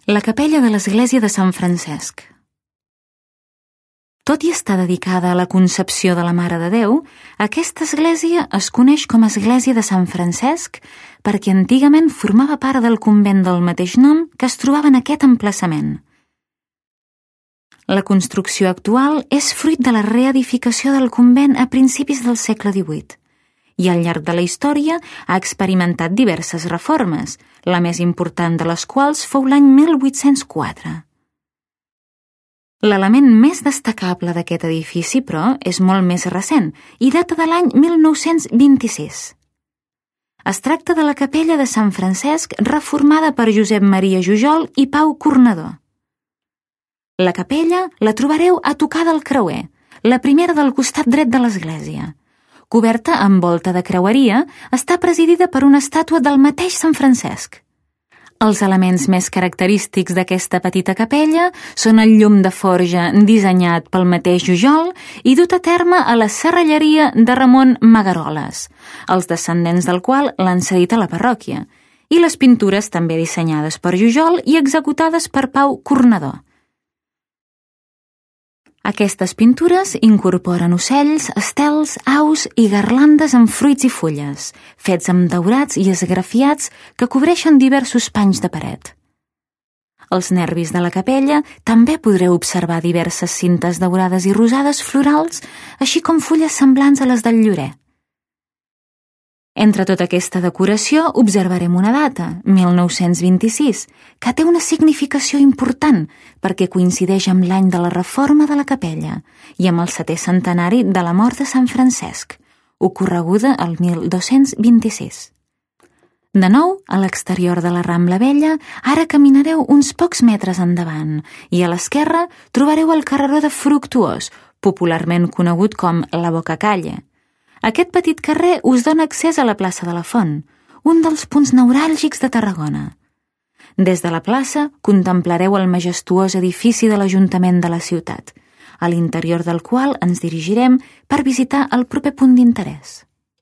La capella de l'església de Sant Francesc. Tot i estar dedicada a la concepció de la Mare de Déu, aquesta església es coneix com a església de Sant Francesc perquè antigament formava part del convent del mateix nom que es trobava en aquest emplaçament. La construcció actual és fruit de la reedificació del convent a principis del segle XVIII i al llarg de la història ha experimentat diverses reformes, la més important de les quals fou l'any 1804. L'element més destacable d'aquest edifici, però, és molt més recent i data de l'any 1926. Es tracta de la capella de Sant Francesc reformada per Josep Maria Jujol i Pau Cornador. La capella la trobareu a tocar del creuer, la primera del costat dret de l'església. Coberta amb volta de creueria, està presidida per una estàtua del mateix Sant Francesc. Els elements més característics d'aquesta petita capella són el llum de forja dissenyat pel mateix Jujol i dut a terme a la serralleria de Ramon Magaroles, els descendents del qual l'han cedit a la parròquia, i les pintures també dissenyades per Jujol i executades per Pau Cornador. Aquestes pintures incorporen ocells, estels, aus i garlandes amb fruits i fulles, fets amb daurats i esgrafiats que cobreixen diversos panys de paret. Als nervis de la capella també podreu observar diverses cintes daurades i rosades florals, així com fulles semblants a les del llorer. Entre tota aquesta decoració observarem una data, 1926, que té una significació important perquè coincideix amb l'any de la reforma de la capella i amb el 7è centenari de la mort de Sant Francesc, ocorreguda el 1226. De nou, a l'exterior de la Rambla Vella, ara caminareu uns pocs metres endavant i a l'esquerra trobareu el carreró de Fructuós, popularment conegut com la Bocacalle. Aquest petit carrer us dona accés a la plaça de la Font, un dels punts neuràlgics de Tarragona. Des de la plaça contemplareu el majestuós edifici de l'Ajuntament de la ciutat, a l'interior del qual ens dirigirem per visitar el proper punt d'interès.